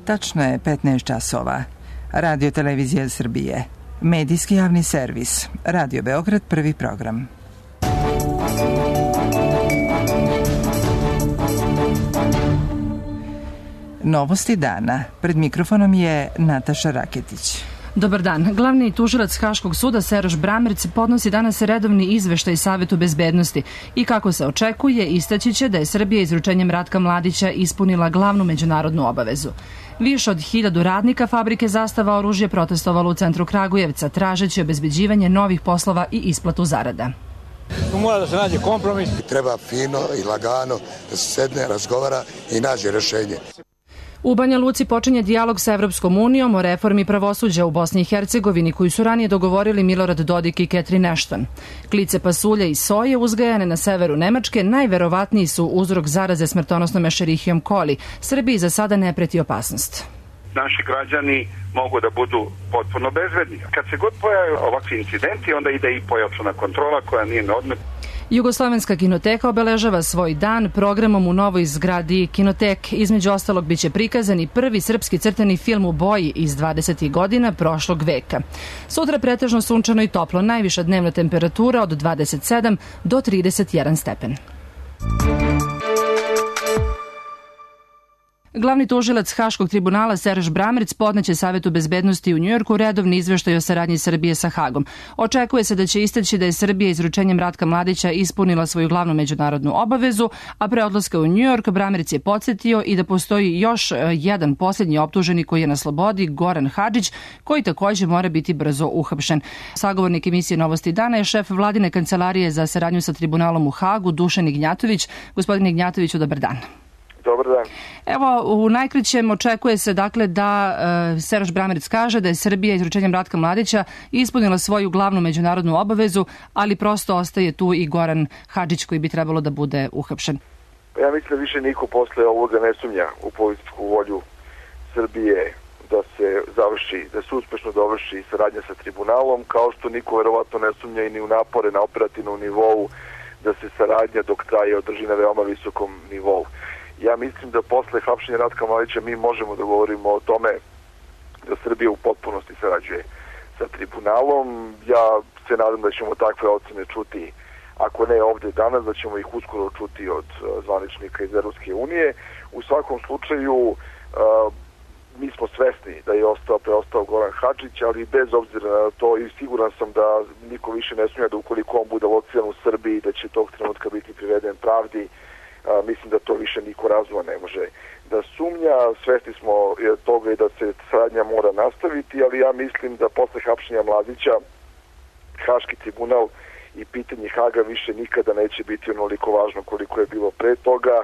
Tačno je 15 časova. Radio Televizija Srbije. Medijski javni servis. Radio Beograd, prvi program. Novosti dana. Pred mikrofonom je Nataša Raketić. Dobar dan. Glavni tužilac Haškog suda Seroš Bramerc podnosi danas redovni izveštaj Savetu bezbednosti i kako se očekuje, istaći će da je Srbija izručenjem Ratka Mladića ispunila glavnu međunarodnu obavezu. Više od 1000 radnika fabrike Zastava oružje protestovalo u centru Kragujevca, tražeći obezbeđivanje novih poslova i isplatu zarada. Tu mora da se nađe kompromis. Treba fino i lagano da se sedne, razgovara i nađe rešenje. U Banja Luci počinje dijalog sa Evropskom unijom o reformi pravosuđa u Bosni i Hercegovini, koju su ranije dogovorili Milorad Dodik i Catherine Ashton. Klice pasulja i soje uzgajane na severu Nemačke najverovatniji su uzrok zaraze smrtonosnom Escherichiom coli. Srbiji za sada ne preti opasnost. Naši građani mogu da budu potpuno bezbedni. Kad se god pojave ovakvi incidenti, onda ide i pojačana kontrola koja nije na odmet. Jugoslovenska kinoteka obeležava svoj dan programom u novoj zgradi Kinotek. Između ostalog biće prikazan i prvi srpski crtani film u boji iz 20. godina prošlog veka. Sutra pretežno sunčano i toplo, najviša dnevna temperatura od 27 do 31 stepen. Glavni tužilac Haškog tribunala Seroš Bramerc podneće Savetu bezbednosti u Njujorku redovni izveštaj o saradnji Srbije sa Hagom. Očekuje se da će istaći da je Srbija izručenjem Ratka Mladića ispunila svoju glavnu međunarodnu obavezu, a pre odlaska u Njujork Bramerc je podsjetio i da postoji još jedan posljednji optuženi koji je na slobodi, Goran Hadžić, koji takođe mora biti brzo uhapšen. Sagovornik emisije Novosti dana je šef vladine kancelarije za saradnju sa tribunalom u Hagu, Dušan Ignjatović. Gospodine Ignjatoviću, dobar dan. Dobar dan. Evo, u najkraćem očekuje se dakle da Seroš Bramerc kaže da je Srbija izručenjem Ratka Mladića ispunila svoju glavnu međunarodnu obavezu, ali prosto ostaje tu i Goran Hadžić koji bi trebalo da bude uhapšen. Ja mislim da više niko posle ovoga ne sumnja u političku volju Srbije da se završi, da se uspešno dovrši saradnja sa tribunalom, kao što niko verovatno ne sumnja i ni u napore na operativnom nivou da se saradnja dok traje održi na veoma visokom nivou. Ja mislim da posle hapšenja Ratka Mladića mi možemo da govorimo o tome da Srbija u potpunosti sarađuje sa tribunalom. Ja se nadam da ćemo takve ocene čuti, ako ne ovde danas, da ćemo ih uskoro čuti od zvaničnika iz Evropske unije. U svakom slučaju mi smo svesni da je preostao Goran Hadžić, ali bez obzira na to i siguran sam da niko više ne sumnja da ukoliko on bude lociran u Srbiji da će tog trenutka biti priveden pravdi. Mislim da to više niko razuma ne može da sumnja. Svesni smo toga i da se saradnja mora nastaviti, ali ja mislim da posle hapšenja Mladića Haški tribunal i pitanje Haga više nikada neće biti onoliko važno koliko je bilo pre toga.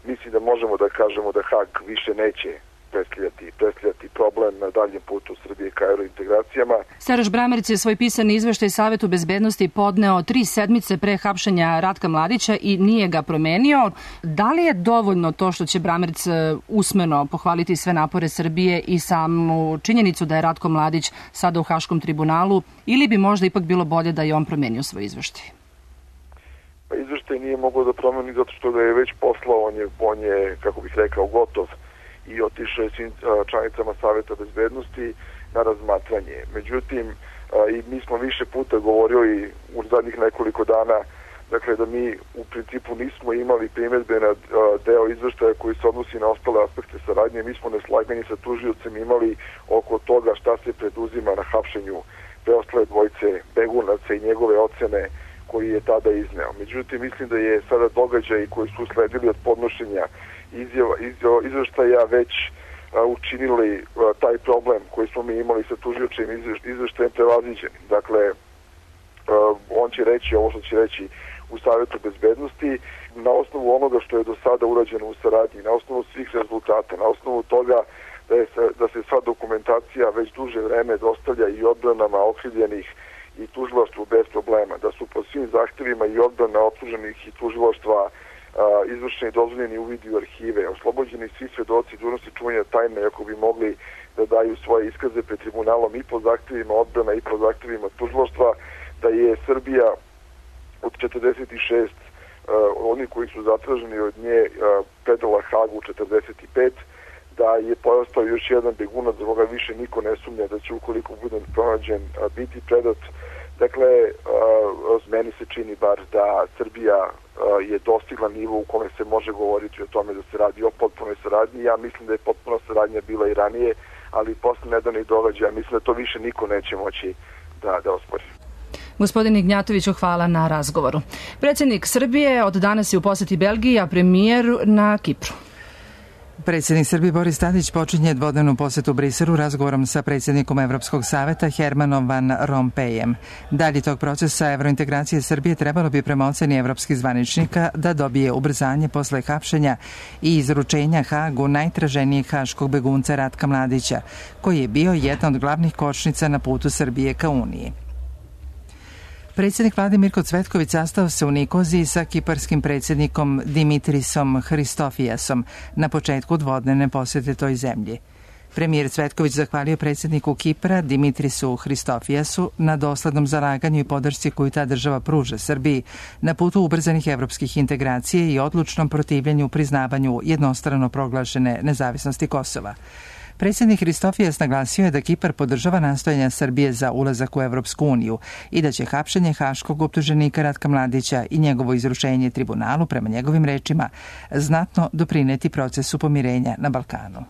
Mislim da možemo da kažemo da Hag više neće predstavljati problem na daljem putu Srbije ka eurointegracijama. Seroš Bramerc je svoj pisani izveštaj Savetu bezbednosti podneo 3 sedmice pre hapšenja Ratka Mladića i nije ga promenio. Da li je dovoljno to što će Bramerc usmeno pohvaliti sve napore Srbije i samu činjenicu da je Ratko Mladić sada u Haškom tribunalu, ili bi možda ipak bilo bolje da je on promenio svoj izveštaj? Pa izveštaj nije mogao da promeni zato što ga je već poslao, on je, kako bih rekao, gotov i otišao je svim članicama Saveta bezbednosti na razmatranje. Međutim, i mi smo više puta govorili u zadnjih nekoliko dana, dakle da mi u principu nismo imali primjedbe na deo izveštaja koji se odnosi na ostale aspekte saradnje. Mi smo neslaganje sa tužiocem imali oko toga šta se preduzima na hapšenju preostale dvojice begunaca i njegove ocene koji je tada izneo. Međutim, mislim da je sada događaj koji su sledili od podnošenja izveštaja već učinili taj problem koji smo mi imali sa tužiočim izveštajem prevaziđen. Dakle, on će reći ovo što će reći u Savetu bezbednosti na osnovu onoga što je do sada urađeno u saradnji, na osnovu svih rezultata, na osnovu toga da se sva dokumentacija već duže vreme dostavlja i odbranama okrivljenih i tužilaštvu bez problema, da su po svim zahtevima i odbrana optuženih i tužilaštva izvršeni dozvoljeni uvidi u arhive, oslobođeni svi svedoci dužnosti čuvanja tajne ako bi mogli da daju svoje iskaze pred tribunalom i po zahtevima odbrana i po zahtevima tužilaštva, da je Srbija od 46 oni koji su zatraženi od nje predala Hagu 45, da je postao još jedan begunac, za koga više niko ne sumnja da će, ukoliko bude pronađen, biti predat. Dakle, meni se čini bar da Srbija je dostigla nivo u kome se može govoriti o tome da se radi o potpunoj saradnji. Ja mislim da je potpuna saradnja bila i ranije, ali posle nedavnih događaja mislim da to više niko neće moći da ospori. Gospodin Ignjatoviću, hvala na razgovoru. Predsjednik Srbije od danas je u poseti Belgiji, a premijer na Kipru. Predsjednik Srbije Boris Tadić počinje dvodnevnu posetu Briselu razgovorom sa predsjednikom Evropskog saveta Hermanom Van Rompuyem. Dalje tog procesa evrointegracije Srbije trebalo bi prema oceni evropskih zvaničnika da dobije ubrzanje posle hapšenja i izručenja Hagu najtraženijeg haškog begunca Ratka Mladića, koji je bio jedna od glavnih kočnica na putu Srbije ka Uniji. Predsjednik vlade Mirko Cvetković sastao se u Nikoziji sa kiparskim predsjednikom Dimitrisom Hristofijasom na početku dvodnevne posete toj zemlji. Premijer Cvetković zahvalio predsjedniku Kipra Dimitrisu Hristofijasu na doslednom zalaganju i podršci koju ta država pruža Srbiji na putu ubrzanih evropskih integracija i odlučnom protivljenju priznavanju jednostrano proglašene nezavisnosti Kosova. Predsjednik Hristofijas naglasio je da Kipar podržava nastojanja Srbije za ulazak u Evropsku uniju i da će hapšenje haškog optuženika Ratka Mladića i njegovo izručenje tribunalu, prema njegovim rečima, znatno doprineti procesu pomirenja na Balkanu.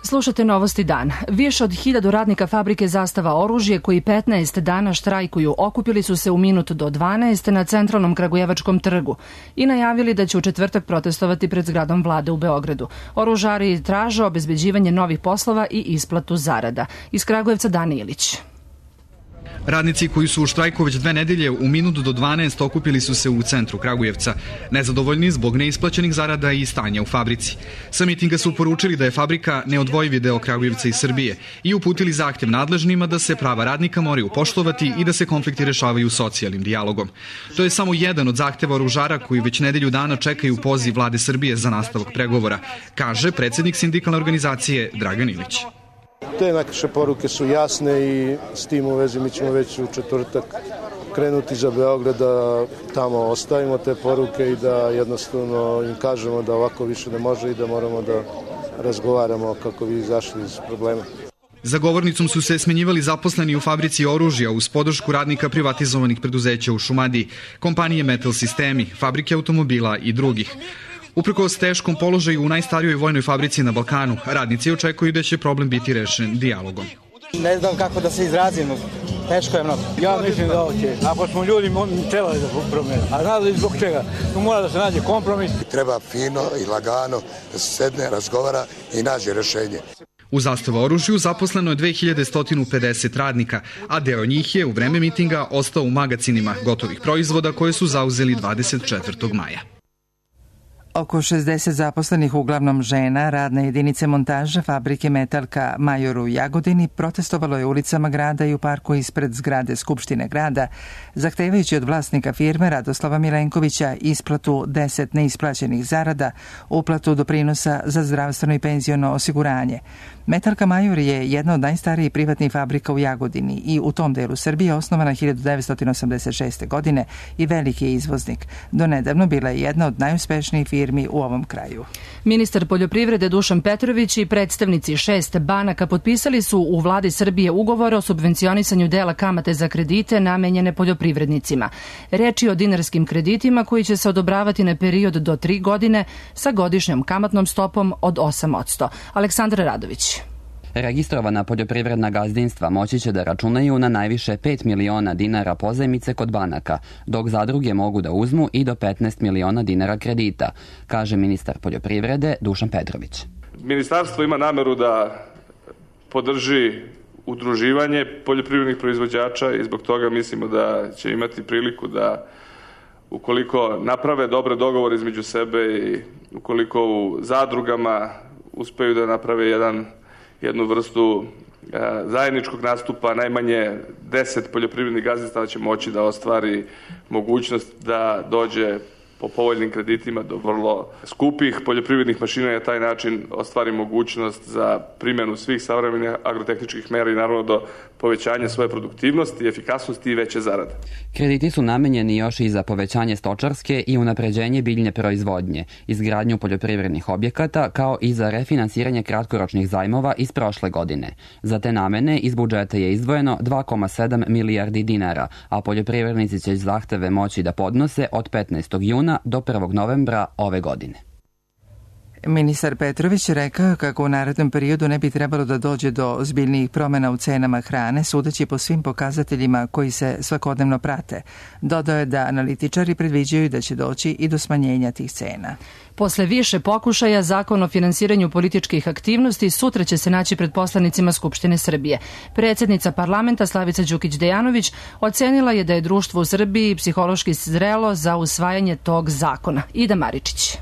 Slušate Novosti dan. Više od 1000 radnika fabrike Zastava oružje koji 15 dana štrajkuju okupili su se u minut do 12 na centralnom Kragujevačkom trgu i najavili da će u četvrtak protestovati pred zgradom vlade u Beogradu. Oružari traže obezbeđivanje novih poslova i isplatu zarada. Iz Kragujevca Dani Ilić. Radnici koji su u štrajku već 2 nedelje u minut do 12 okupili su se u centru Kragujevca, nezadovoljni zbog neisplaćenih zarada i stanja u fabrici. Sa mitinga su poručili da je fabrika neodvojivi deo Kragujevca i Srbije i uputili zahtev nadležnima da se prava radnika moraju poštovati i da se konflikti rešavaju socijalnim dijalogom. To je samo jedan od zahteva oružara koji već nedelju dana čekaju poziv vlade Srbije za nastavak pregovora, kaže predsjednik sindikalne organizacije Dragan Ilić. Te naše poruke su jasne i s tim u vezi mi ćemo već u četvrtak krenuti za Beograd da tamo ostavimo te poruke i da jednostavno im kažemo da ovako više ne može i da moramo da razgovaramo kako bi izašli iz problema. Za govornicom su se smenjivali zaposleni u fabrici oružja uz podršku radnika privatizovanih preduzeća u Šumadiji, kompanije Metal Sistemi, fabrike automobila i drugih. Uprkos teškom položaju u najstarijoj vojnoj fabrici na Balkanu, radnici očekuju da će problem biti rešen dijalogom. Ne znam kako da se izrazimo, teško je mnogo. Ja mislim da hoće, ako smo ljudi trebali da promijene, a znali zbog čega, tu mora da se nađe kompromis. Treba fino i lagano da se sedne, razgovara i nađe rešenje. U Zastava oružju zaposleno je 2150 radnika, a deo njih je u vreme mitinga ostao u magacinima gotovih proizvoda koje su zauzeli 24. maja. Oko 60 zaposlenih, uglavnom žena, radne jedinice montaža fabrike Metalka Major u Jagodini protestovalo je ulicama grada i u parku ispred zgrade Skupštine grada, zahtevajući od vlasnika firme Radoslava Milenkovića isplatu 10 neisplaćenih zarada, uplatu doprinosa za zdravstveno i penziono osiguranje. Metalka Major je jedna od najstarijih privatnih fabrika u Jagodini i u tom delu Srbije osnovana 1986. godine i veliki je izvoznik. Donedavno bila je jedna od najuspešnijih firmi u ovom kraju. Ministar poljoprivrede Dušan Petrović i predstavnici 6 banaka potpisali su u vladi Srbije ugovor o subvencionisanju dela kamate za kredite namenjene poljoprivrednicima. Reč je o dinarskim kreditima koji će se odobravati na period do 3 godine sa godišnjom kamatnom stopom od 8%. Aleksandar Radović. Registrovana poljoprivredna gazdinstva moći će da računaju na najviše 5 miliona dinara pozajmice kod banaka, dok zadruge mogu da uzmu i do 15 miliona dinara kredita, kaže ministar poljoprivrede Dušan Petrović. Ministarstvo ima nameru da podrži udruživanje poljoprivrednih proizvođača i zbog toga mislimo da će imati priliku da, ukoliko naprave dobre dogovore između sebe i ukoliko u zadrugama uspeju da naprave jednu vrstu zajedničkog nastupa, najmanje 10 poljoprivrednih gazdinstava će moći da ostvari mogućnost da dođe po povoljnim kreditima do vrlo skupih poljoprivrednih mašina i na taj način ostvari mogućnost za primjenu svih savremenih agrotehničkih mera i naravno do povećanja svoje produktivnosti, efikasnosti i veće zarade. Krediti su namenjeni još i za povećanje stočarske i unapređenje biljne proizvodnje, izgradnju poljoprivrednih objekata, kao i za refinansiranje kratkoročnih zajmova iz prošle godine. Za te namene iz budžeta je izdvojeno 2,7 milijardi dinara, a poljoprivrednici će zahteve moći da podnose od 15. juna do 1. novembra ove godine. Ministar Petrović je rekao kako u narednom periodu ne bi trebalo da dođe do ozbiljnijih promjena u cenama hrane, sudeći po svim pokazateljima koji se svakodnevno prate. Dodao je da analitičari predviđaju da će doći i do smanjenja tih cena. Posle više pokušaja, Zakon o finansiranju političkih aktivnosti sutra će se naći pred poslanicima Skupštine Srbije. Predsjednica parlamenta Slavica Đukić-Dejanović ocenila je da je društvo u Srbiji psihološki zrelo za usvajanje tog zakona. Ida Maričić.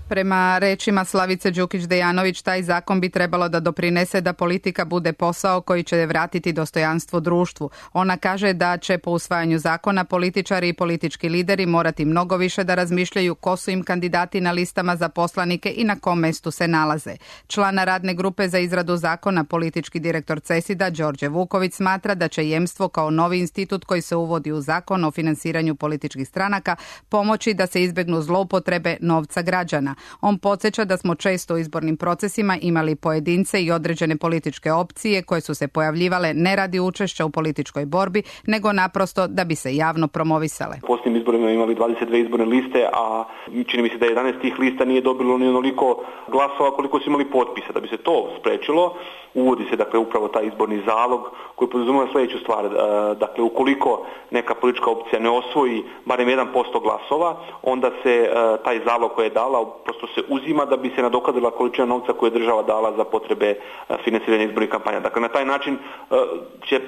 Prema rečima Slavice Đukić-Dejanović, taj zakon bi trebalo da doprinese da politika bude posao koji će vratiti dostojanstvo društvu. Ona kaže da će po usvajanju zakona političari i politički lideri morati mnogo više da razmišljaju ko su im kandidati na listama za poslanike i na kom mestu se nalaze. Člana radne grupe za izradu zakona, politički direktor CESID-a Đorđe Vuković smatra da će jemstvo kao novi institut koji se uvodi u zakon o finansiranju političkih stranaka pomoći da se izbegnu zloupotrebe novca građana. On podsjeća da smo često u izbornim procesima imali pojedince i određene političke opcije koje su se pojavljivale ne radi učešća u političkoj borbi, nego naprosto da bi se javno promovisale. U posljednjim izborima imali 22 izborne liste, a čini mi se da 11 tih lista nije dobilo ni onoliko glasova koliko su imali potpisa. Da bi se to sprečilo, uvodi se dakle upravo taj izborni zalog koji podrazumeva sljedeću stvar. Dakle, ukoliko neka politička opcija ne osvoji barem 1% glasova, onda se taj zalog koji je dala prosto se uzima da bi se nadoknadila količina novca koju je država dala za potrebe finansiranja izbornih kampanja. Dakle, na taj način će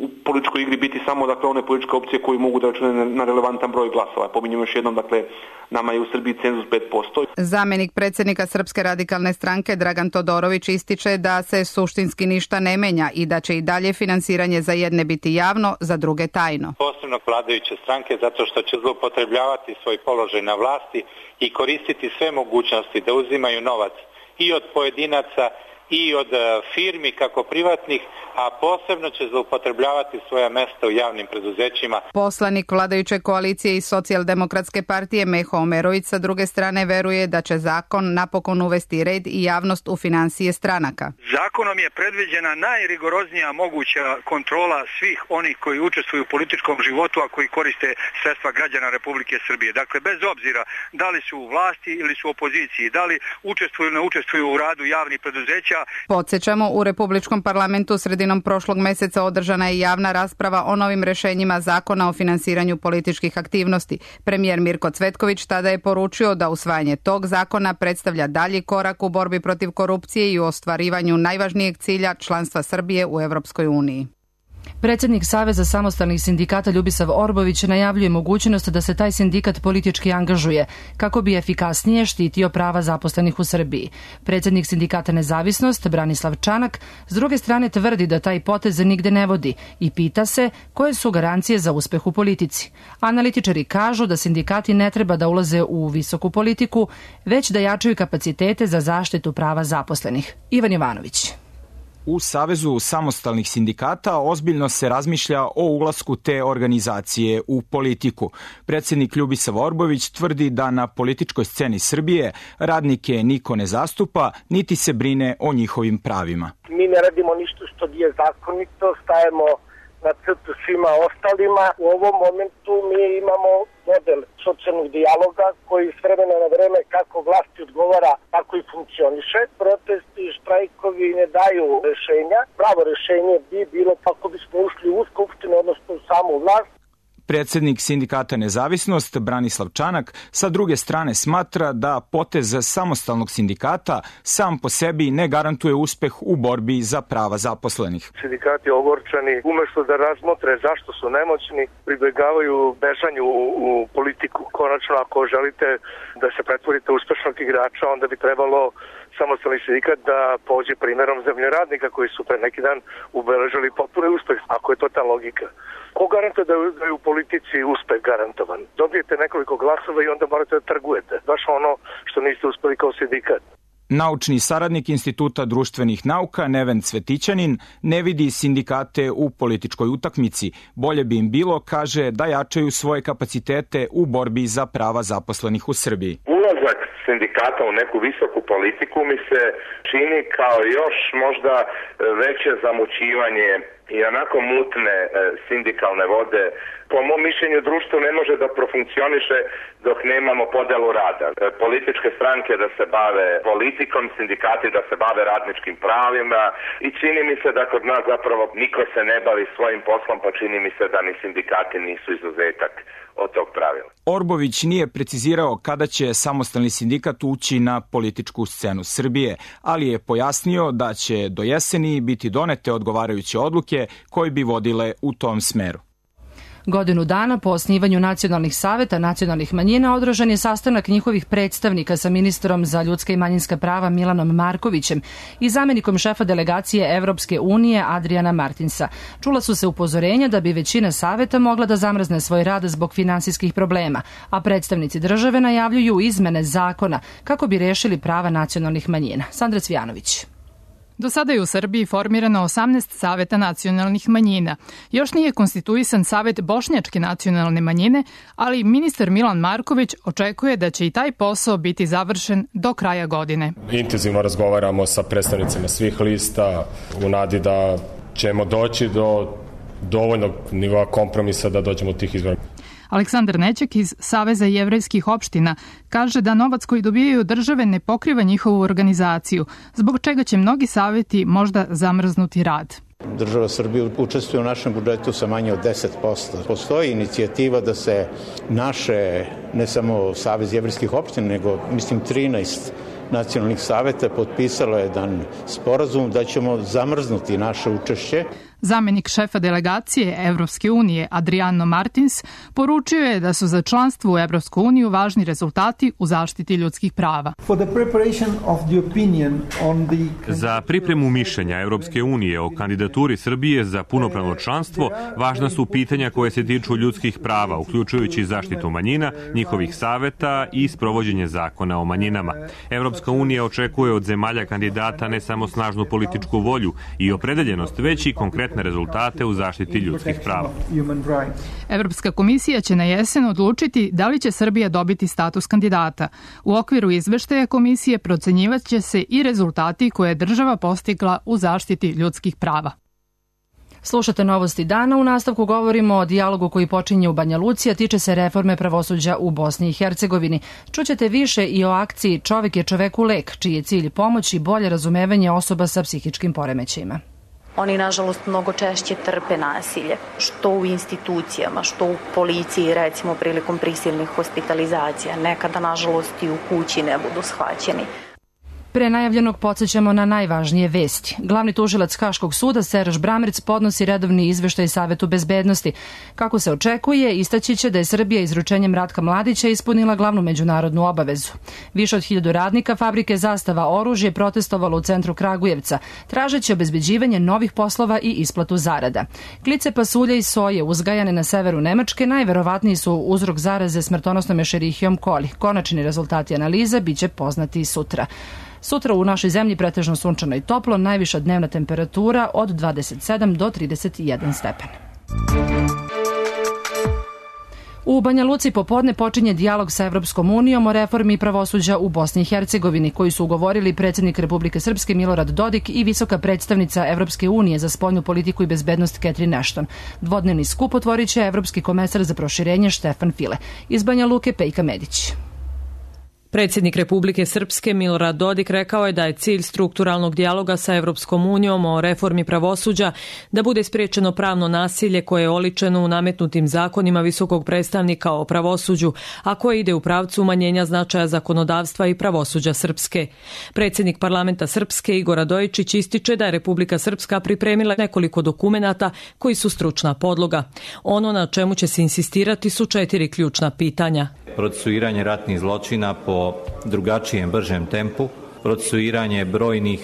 u političkoj igri biti samo dakle one političke opcije koji mogu da računaju na relevantan broj glasova. Pominjem još jednom, dakle, nama je u Srbiji cenzus 5%. Zamenik predsjednika Srpske radikalne stranke Dragan Todorović ističe da se suštinski ništa ne menja i da će i dalje finansiranje za jedne biti javno, za druge tajno. Posebno vladajuće stranke zato što će zloupotrebljavati svoj položaj na vlasti i koristiti sve mogućnosti da uzimaju novac i od pojedinaca i od firmi kako privatnih, a posebno će zloupotrebljavati svoja mesta u javnim preduzećima. Poslanik vladajuće koalicije i Socijaldemokratske partije Meho Omerović sa druge strane veruje da će zakon napokon uvesti red i javnost u finansije stranaka. Zakonom je predviđena najrigoroznija moguća kontrola svih onih koji učestvuju u političkom životu, a koji koriste sredstva građana Republike Srbije. Dakle, bez obzira da li su u vlasti ili su u opoziciji, da li učestvuju ili ne učestvuju u radu javnih preduzeća. Podsjećamo, u Republičkom parlamentu sredinom prošlog meseca održana je javna rasprava o novim rešenjima zakona o finansiranju političkih aktivnosti. Premijer Mirko Cvetković tada je poručio da usvajanje tog zakona predstavlja dalji korak u borbi protiv korupcije i u ostvarivanju najvažnijeg cilja članstva Srbije u Evropskoj uniji. Predsjednik Saveza samostalnih sindikata Ljubisav Orbović najavljuje mogućnost da se taj sindikat politički angažuje kako bi efikasnije štitio prava zaposlenih u Srbiji. Predsjednik sindikata Nezavisnost Branislav Čanak s druge strane tvrdi da taj potez nigde ne vodi i pita se koje su garancije za uspeh u politici. Analitičari kažu da sindikati ne treba da ulaze u visoku politiku, već da jačaju kapacitete za zaštitu prava zaposlenih. Ivan Jovanović. U Savezu samostalnih sindikata ozbiljno se razmišlja o ulasku te organizacije u politiku. Predsjednik Ljubisav Orbović tvrdi da na političkoj sceni Srbije radnike niko ne zastupa, niti se brine o njihovim pravima. Mi ne radimo ništa što nije zakonito, stajemo na crtu svima ostalima. U ovom momentu mi imamo model socijalnog dijaloga koji s vremena na vreme kako vlasti odgovara, tako i funkcioniše. Protesti i štrajkovi ne daju rešenja. Pravo rešenje bi bilo kako bismo ušli u skupštinu, odnosno u samu vlast. Predsjednik sindikata Nezavisnost Branislav Čanak sa druge strane smatra da potez samostalnog sindikata sam po sebi ne garantuje uspeh u borbi za prava zaposlenih. Sindikati ogorčani umjesto da razmotre zašto su nemoćni, pribegavaju bežanju u politiku. Konačno, ako želite da se pretvorite uspešnog igrača, onda bi trebalo samostalni sindikat da pođe primjerom zemljoradnika koji su pre neki dan ubeležili potpuni uspeh, ako je to ta logika. Ko garantuje da je u politici uspeh garantovan? Dobijete nekoliko glasova i onda morate da trgujete. Baš ono što niste uspeli kao sindikat. Naučni saradnik Instituta društvenih nauka Neven Cvetićanin ne vidi sindikate u političkoj utakmici. Bolje bi im bilo, kaže, da jačaju svoje kapacitete u borbi za prava zaposlenih u Srbiji. Ulazak sindikata u neku visoku politiku mi se čini kao još možda veće zamućivanje i onako mutne sindikalne vode. Po mom mišljenju društvo ne može da profunkcioniše dok nemamo podelu rada. Političke stranke da se bave politikom, sindikati da se bave radničkim pravima i čini mi se da kod nas zapravo niko se ne bavi svojim poslom, pa čini mi se da ni sindikati nisu izuzetak od tog pravila. Orbović nije precizirao kada će samostalni sindikat ući na političku scenu Srbije, ali je pojasnio da će do jeseni biti donete odgovarajuće odluke koje bi vodile u tom smeru. Godinu dana po osnivanju nacionalnih saveta nacionalnih manjina održan je sastanak njihovih predstavnika sa ministrom za ljudska i manjinska prava Milanom Markovićem i zamenikom šefa delegacije Evropske unije Adriana Martinsa. Čula su se upozorenja da bi većina saveta mogla da zamrzne svoj rad zbog finansijskih problema, a predstavnici države najavljuju izmene zakona kako bi rešili prava nacionalnih manjina. Sandra Cvijanović. Do sada je u Srbiji formirano 18 saveta nacionalnih manjina. Još nije konstituisan savet bošnjačke nacionalne manjine, ali ministar Milan Marković očekuje da će i taj posao biti završen do kraja godine. Intenzivno razgovaramo sa predstavnicima svih lista u nadi da ćemo doći do dovoljnog nivoa kompromisa da dođemo do tih izbora. Aleksandar Nećak iz Saveza jevrejskih opština kaže da novac koji dobijaju države ne pokriva njihovu organizaciju, zbog čega će mnogi saveti možda zamrznuti rad. Država Srbije učestvuje u našem budžetu sa manje od 10%. Postoji inicijativa da se naše, ne samo Savez jevrejskih opština, nego mislim 13 nacionalnih saveta potpisalo jedan sporazum da ćemo zamrznuti naše učešće. Zamenik šefa delegacije Evropske unije Adriano Martins poručio je da su za članstvo u Evropsku uniju važni rezultati u zaštiti ljudskih prava. Za pripremu mišljenja Evropske unije o kandidaturi Srbije za punopravno članstvo važna su pitanja koje se tiču ljudskih prava, uključujući zaštitu manjina, njihovih saveta i sprovođenje zakona o manjinama. Evropska unija očekuje od zemalja kandidata ne samo snažnu političku volju i opredeljenost, već i konkretne rezultate u zaštiti ljudskih prava. Evropska komisija će na jesen odlučiti da li će Srbija dobiti status kandidata. U okviru izveštaja komisije procenjivat će se i rezultati koje je država postigla u zaštiti ljudskih prava. Slušate Novosti dana, u nastavku govorimo o dijalogu koji počinje u Banja Luci, a tiče se reforme pravosuđa u Bosni i Hercegovini. Čućete više i o akciji Čovek je čoveku lek, čiji je cilj pomoć i bolje razumevanje osoba sa psihičkim poremećajima. Oni, nažalost, mnogo češće trpe nasilje, što u institucijama, što u policiji, recimo prilikom prisilnih hospitalizacija. Nekada, nažalost, i u kući ne budu shvaćeni. Pre najavljenog podsjećamo na najvažnije vesti. Glavni tužilac Haškog suda Seraž Bramric podnosi redovni izveštaj Savetu bezbednosti. Kako se očekuje, istaći će da je Srbija izručenjem Ratka Mladića ispunila glavnu međunarodnu obavezu. Više od 1000 radnika fabrike Zastava oružje protestovalo u centru Kragujevca, tražeći obezbeđivanje novih poslova i isplatu zarada. Klice pasulja i soje uzgajane na severu Nemačke najverovatniji su uzrok zaraze smrtonosnom Escherichiom coli. Konačni rezultati analiza biće poznati i sutra. Sutra u našoj zemlji pretežno sunčano i toplo, najviša dnevna temperatura od 27 do 31 stepen. U Banja Luci popodne počinje dijalog sa Evropskom unijom o reformi pravosuđa u Bosni i Hercegovini, koji su ugovorili predsjednik Republike Srpske Milorad Dodik i visoka predstavnica Evropske unije za spoljnu politiku i bezbednost Catherine Ashton. Dvodnevni skup otvorit će Evropski komesar za proširenje Štefan File. Iz Banja Luke Pejka Medić. Predsjednik Republike Srpske Milorad Dodik rekao je da je cilj strukturalnog dijaloga sa Evropskom unijom o reformi pravosuđa da bude spriječeno pravno nasilje koje je oličeno u nametnutim zakonima visokog predstavnika o pravosuđu, a koje ide u pravcu umanjenja značaja zakonodavstva i pravosuđa Srpske. Predsjednik parlamenta Srpske Igor Radojičić ističe da je Republika Srpska pripremila nekoliko dokumenata koji su stručna podloga. Ono na čemu će se insistirati su 4 ključna pitanja. Procesuiranje ratnih zločina po drugačijem, bržem tempu, procesuiranje brojnih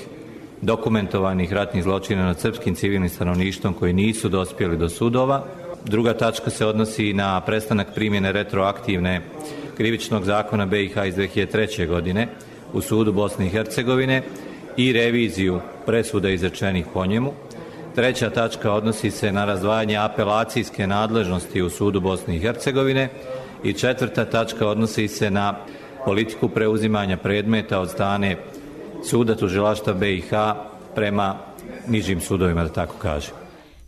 dokumentovanih ratnih zločina nad srpskim civilnim stanovništvom koji nisu dospjeli do sudova. Druga tačka se odnosi na prestanak primjene retroaktivne krivičnog zakona BiH iz 2003. godine u sudu Bosne i Hercegovine i reviziju presuda izrečenih po njemu. Treća tačka odnosi se na razdvajanje apelacijske nadležnosti u sudu Bosne i Hercegovine i četvrta tačka odnosi se na politiku preuzimanja predmeta od strane suda tužilaštva BiH prema nižim sudovima, da tako kažem.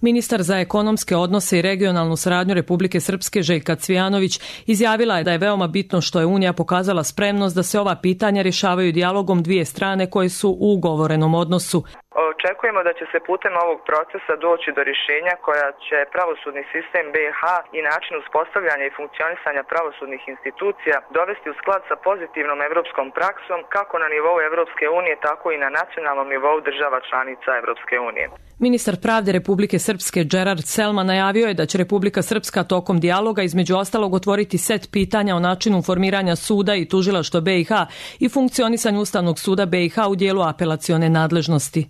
Ministar za ekonomske odnose i regionalnu saradnju Republike Srpske Željka Cvijanović izjavila je da je veoma bitno što je Unija pokazala spremnost da se ova pitanja rješavaju dijalogom dvije strane koje su u ugovorenom odnosu. Očekujemo da će se putem ovog procesa doći do rješenja koja će pravosudni sistem BiH i način uspostavljanja i funkcionisanja pravosudnih institucija dovesti u sklad sa pozitivnom evropskom praksom kako na nivou Evropske unije, tako i na nacionalnom nivou država članica Evropske unije. Ministar pravde Republike Srpske Gerard Selma najavio je da će Republika Srpska tokom dijaloga između ostalog otvoriti set pitanja o načinu formiranja suda i tužilaštva BiH i funkcionisanju Ustavnog suda BiH u dijelu apelacione nadležnosti.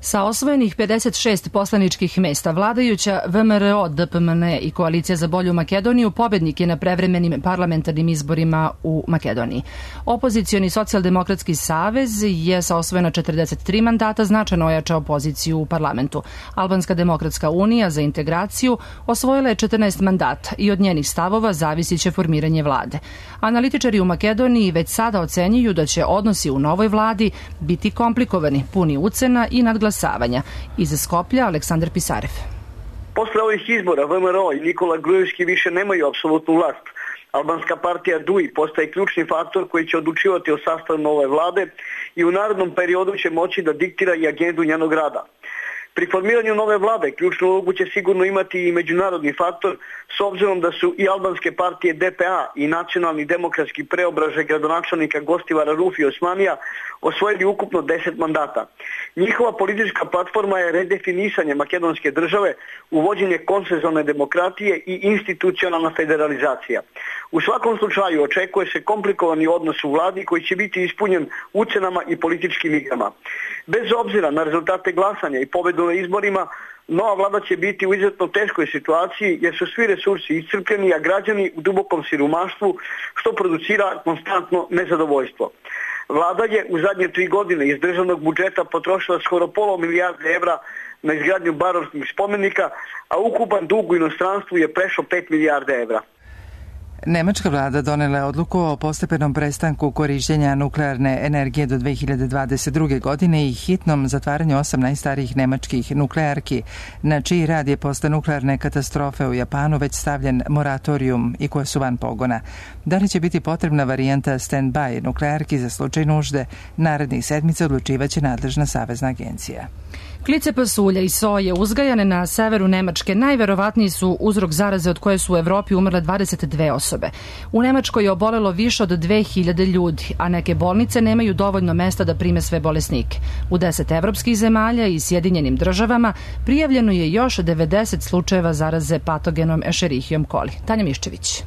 Sa osvojenih 56 poslaničkih mesta, vladajuća VMRO, DPMN i Koalicija za bolju Makedoniju pobednik je na prevremenim parlamentarnim izborima u Makedoniji. Opozicioni socijaldemokratski savez je sa osvojena 43 mandata značajno ojačao poziciju u parlamentu. Albanska demokratska unija za integraciju osvojila je 14 mandata i od njenih stavova zavisit će formiranje vlade. Analitičari u Makedoniji već sada ocenjuju da će odnosi u novoj vladi biti komplikovani, puni ucena i nadglasavanja. Iz Skoplja Aleksandar Pisarev. Posle ovih izbora VMRO i Nikola Grujevski više nemaju apsolutnu vlast. Albanska partija DUI postaje ključni faktor koji će odlučivati o sastavu nove vlade i u narednom periodu će moći da diktira i agendu njenog rada. Pri formiranju nove vlade ključnu ulogu će sigurno imati i međunarodni faktor, s obzirom da su i albanske partije DPA i nacionalni demokratski preobražaj gradonačelnika Gostivara Rufi Osmanija osvojili ukupno 10 mandata. Njihova politička platforma je redefinisanje makedonske države, uvođenje konsenzualne demokratije i institucionalna federalizacija. U svakom slučaju očekuje se komplikovani odnos u vladi koji će biti ispunjen ucenama i političkim igrama. Bez obzira na rezultate glasanja i pobedu na izborima, nova vlada će biti u izuzetno teškoj situaciji jer su svi resursi iscrpljeni, a građani u dubokom siromaštvu, što producira konstantno nezadovoljstvo. Vlada je u zadnje 3 godine iz državnog budžeta potrošila skoro pola milijarde evra na izgradnju baroških spomenika, a ukupan dug u inostranstvu je prešao 5 milijarde evra. Nemačka vlada donela je odluku o postepenom prestanku korištenja nuklearne energije do 2022. godine i hitnom zatvaranju 8 najstarijih nemačkih nuklearki, na čiji rad je posle nuklearne katastrofe u Japanu već stavljen moratorijum i koje su van pogona. Da li će biti potrebna varijanta stand-by nuklearki za slučaj nužde, narednih sedmica odlučivaće nadležna savezna agencija. Klice pasulja i soje uzgajane na severu Nemačke najverovatniji su uzrok zaraze od koje su u Evropi umrle 22 osobe. U Nemačkoj je obolelo više od 2000 ljudi, a neke bolnice nemaju dovoljno mesta da prime sve bolesnike. U 10 evropskih zemalja i Sjedinjenim državama prijavljeno je još 90 slučajeva zaraze patogenom Escherichiom coli. Tanja Miščević.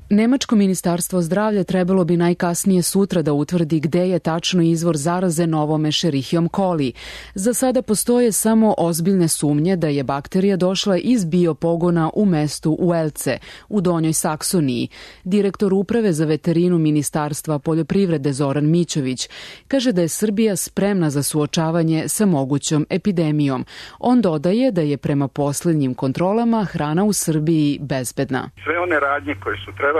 Nemačko ministarstvo zdravlja trebalo bi najkasnije sutra da utvrdi gde je tačno izvor zaraze novom Escherichiom coli. Za sada postoje samo ozbiljne sumnje da je bakterija došla iz biopogona u mestu Uelce, u Donjoj Saksoniji. Direktor uprave za veterinu Ministarstva poljoprivrede Zoran Mićović kaže da je Srbija spremna za suočavanje sa mogućom epidemijom. On dodaje da je prema poslednjim kontrolama hrana u Srbiji bezbedna. Sve one radnje koje su trebali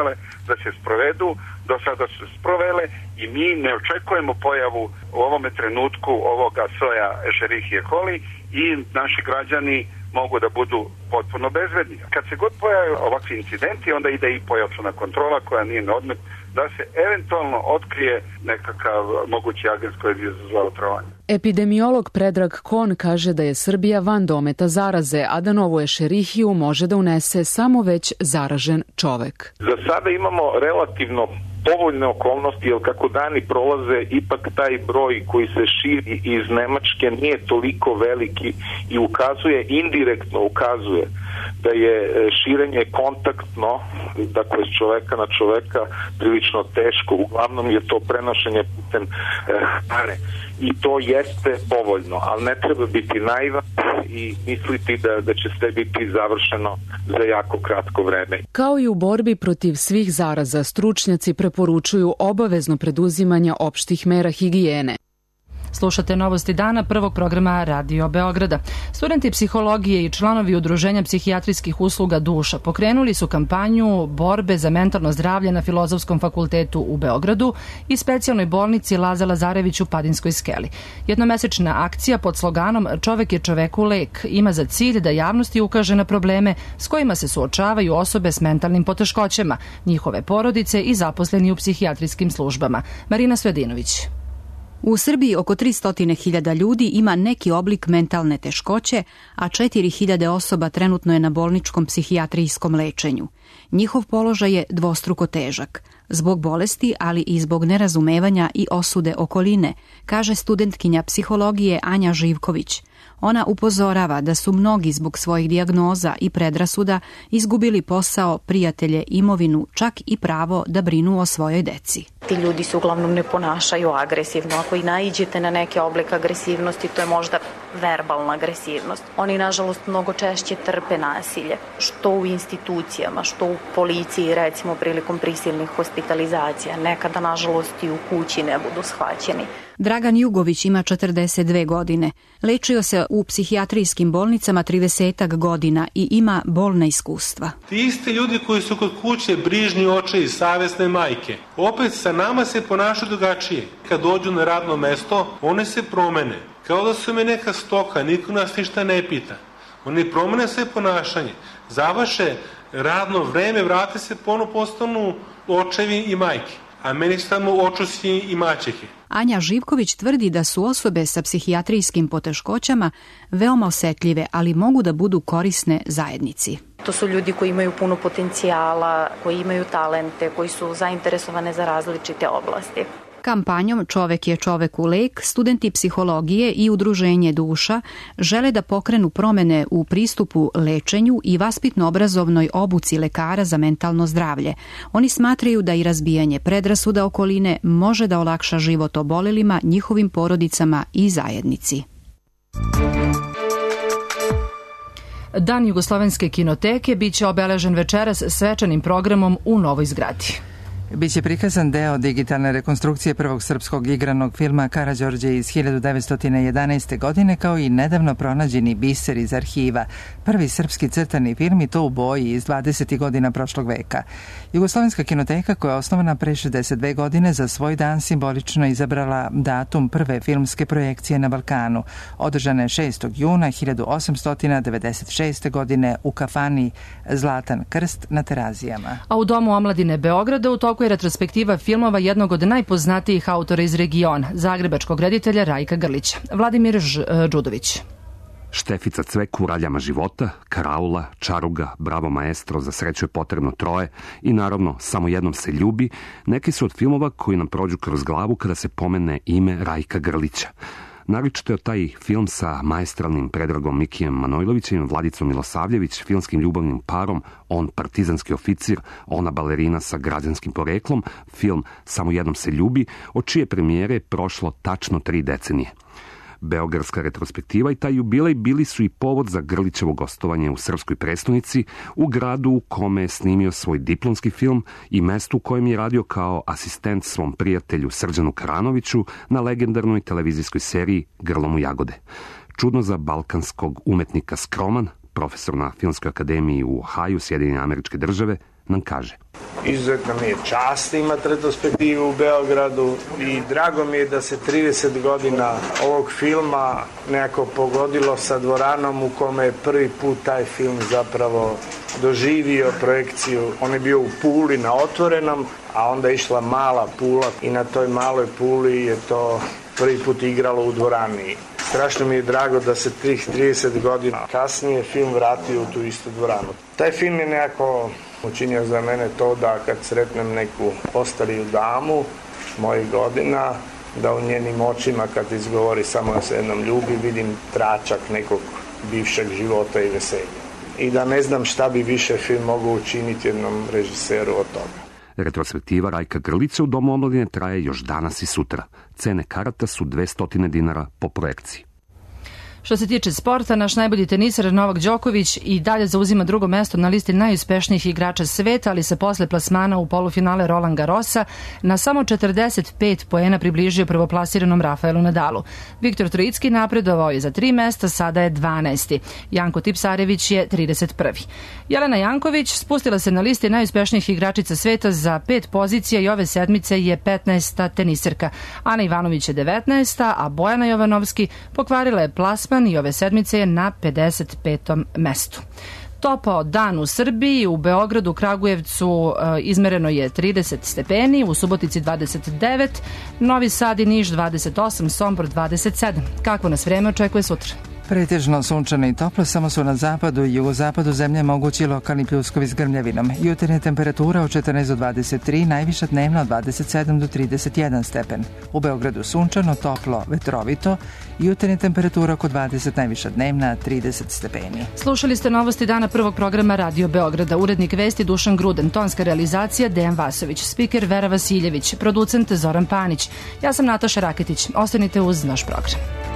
da se sprovedu, do sada su sprovele i mi ne očekujemo pojavu u ovome trenutku ovoga soja Escherichia coli i naši građani mogu da budu potpuno bezbedni. Kad se god pojave ovakvi incidenti, onda ide i pojačana kontrola koja nije na odmet da se eventualno otkrije nekakav mogući agens koji je izazvao otrovanje. Epidemiolog Predrag Kon kaže da je Srbija van dometa zaraze, a da novu ešerihiju može da unese samo već zaražen čovek. Za sada imamo relativno povoljne okolnosti, jer kako dani prolaze, ipak taj broj koji se širi iz Nemačke nije toliko veliki i indirektno ukazuje da je širenje kontaktno, dakle s čoveka na čoveka, prilično teško. Uglavnom je to prenošenje putem hrane. I to jeste povoljno, ali ne treba biti naivan i misliti da će sve biti završeno za jako kratko vreme. Kao i u borbi protiv svih zaraza, stručnjaci preporučuju obavezno preduzimanje opštih mera higijene. Slušate Novosti dana prvog programa Radio Beograda. Studenti psihologije i članovi Udruženja psihijatrijskih usluga Duša pokrenuli su kampanju borbe za mentalno zdravlje na Filozofskom fakultetu u Beogradu i specijalnoj bolnici Laza Lazarević u Padinskoj skeli. Jednomesečna akcija pod sloganom Čovek je čoveku lek ima za cilj da javnosti ukaže na probleme s kojima se suočavaju osobe s mentalnim poteškoćama, njihove porodice i zaposleni u psihijatrijskim službama. Marina Svedinović. U Srbiji oko 300.000 ljudi ima neki oblik mentalne teškoće, a 4.000 osoba trenutno je na bolničkom psihijatrijskom lečenju. Njihov položaj je dvostruko težak, zbog bolesti, ali i zbog nerazumevanja i osude okoline, kaže studentkinja psihologije Anja Živković. Ona upozorava da su mnogi zbog svojih dijagnoza i predrasuda izgubili posao, prijatelje, imovinu, čak i pravo da brinu o svojoj deci. Ti ljudi se uglavnom ne ponašaju agresivno. Ako i naiđete na neke oblik agresivnosti, to je možda verbalna agresivnost. Oni, nažalost, mnogo češće trpe nasilje, što u institucijama, što u policiji, recimo prilikom prisilnih hospitalizacija. Nekada, nažalost, i u kući ne budu shvaćeni. Dragan Jugović ima 42 godine. Lečio se u psihijatrijskim bolnicama 30 godina i ima bolna iskustva. Ti isti ljudi koji su kod kuće brižni očevi, savesne majke, opet sa nama se ponašaju drugačije. Kad dođu na radno mesto, one se promene. Kao da su me neka stoka, niko nas ništa ne pita. Oni promene sve ponašanje. Završe radno vreme, vrate se, ponovo postanu očevi i majke. A meni su tamo očusi i maćehe. Anja Živković tvrdi da su osobe sa psihijatrijskim poteškoćama veoma osetljive, ali mogu da budu korisne zajednici. To su ljudi koji imaju puno potencijala, koji imaju talente, koji su zainteresovane za različite oblasti. Kampanjom Čovek je čoveku lek, studenti psihologije i Udruženje Duša žele da pokrenu promene u pristupu lečenju i vaspitno-obrazovnoj obuci lekara za mentalno zdravlje. Oni smatraju da i razbijanje predrasuda okoline može da olakša život obolelima, njihovim porodicama i zajednici. Dan Jugoslovenske kinoteke biće obeležen večeras svečanim programom u novoj zgradi. Biće prikazan deo digitalne rekonstrukcije prvog srpskog igranog filma Karađorđe iz 1911. godine, kao i nedavno pronađeni biser iz arhiva. Prvi srpski crtani film i to u boji iz 20. godina prošlog veka. Jugoslovenska kinoteka, koja je osnovana pre 62 godine, za svoj dan simbolično izabrala datum prve filmske projekcije na Balkanu. Održana je 6. juna 1896. godine u kafani Zlatan krst na Terazijama. A u Domu omladine Beograda u toku je retrospektiva filmova jednog od najpoznatijih autora iz regiona, zagrebačkog reditelja Rajka Grlića. Vladimir Đudović. Štefica Cvek u Raljama života, Karaula, Čaruga, Bravo maestro, Za sreću je potrebno troje i naravno Samo jednom se ljubi, neki su od filmova koji nam prođu kroz glavu kada se pomene ime Rajka Grlića. Naročito je taj film sa maestralnim Predragom Mikijem Manojlovićem, Vladicom Milosavljević, filmskim ljubavnim parom, on partizanski oficir, ona balerina sa građanskim poreklom, film Samo jednom se ljubi, od čije premijere je prošlo tačno 3 decenije. Beogradska retrospektiva i taj jubilej bili su i povod za Grlićevo gostovanje u srpskoj prestonici, u gradu u kome je snimio svoj diplomski film i mestu u kojem je radio kao asistent svom prijatelju Srđanu Karanoviću na legendarnoj televizijskoj seriji Grlom u jagode. Čudno za balkanskog umetnika skroman, profesor na Filmskoj akademiji u Ohaju, Sjedinjene Američke Države, nam kaže. Izuzetno mi je čast imati retrospektivu u Beogradu i drago mi je da se 30 godina ovog filma nekako pogodilo sa dvoranom u kome je prvi put taj film zapravo doživio projekciju. On je bio u Puli na otvorenom, a onda je išla mala Pula i na toj maloj Puli je to prvi put igralo u dvorani. Strašno mi je drago da se tih 30 godina kasnije film vratio u tu istu dvoranu. Taj film je nekako učinio za mene to da kad sretnem neku ostariju damu mojih godina, da u njenim očima kad izgovori samo da se jednom ljubi, vidim tračak nekog bivšeg života i veselja. I da ne znam šta bi više film mogao učiniti jednom režiseru od toga. Retrospektiva Rajka Grlića u Domu omladine traje još danas i sutra. Cene karata su 200 dinara po projekciji. Što se tiče sporta, naš najbolji teniser Novak Đoković i dalje zauzima drugo mesto na listi najuspešnijih igrača sveta, ali se posle plasmana u polufinale Roland Garrosa na samo 45 poena približio prvoplasiranom Rafaelu Nadalu. Viktor Trojicki napredovao je za 3 mesta, sada je 12. Janko Tipsarević je 31. Jelena Janković spustila se na listi najuspešnijih igračica sveta za 5 pozicija i ove sedmice je 15. teniserka. Ana Ivanović je 19. a Bojana Jovanovski pokvarila je plasman i ove sedmice je na 55. mestu. Topao dan u Srbiji, u Beogradu, Kragujevcu izmereno je 30 stepeni, u Subotici 29, Novi Sad i Niš 28, Sombor 27. Kakvo nas vreme očekuje sutra? Pretežno sunčano i toplo, samo su na zapadu i jugozapadu zemlje mogući lokalni pljuskovi s grmljavinom. Jutarnja temperatura od 14 do 23, najviša dnevna od 27 do 31 stepen. U Beogradu sunčano, toplo, vetrovito, jutarnja temperatura oko 20, najviša dnevna 30 stepeni. Slušali ste novosti dana prvog programa Radio Beograda. Urednik vesti Dušan Gruden, tonska realizacija Dejan Vasović, spiker Vera Vasiljević, producent Zoran Panić. Ja sam Nataša Raketić. Ostanite uz naš program.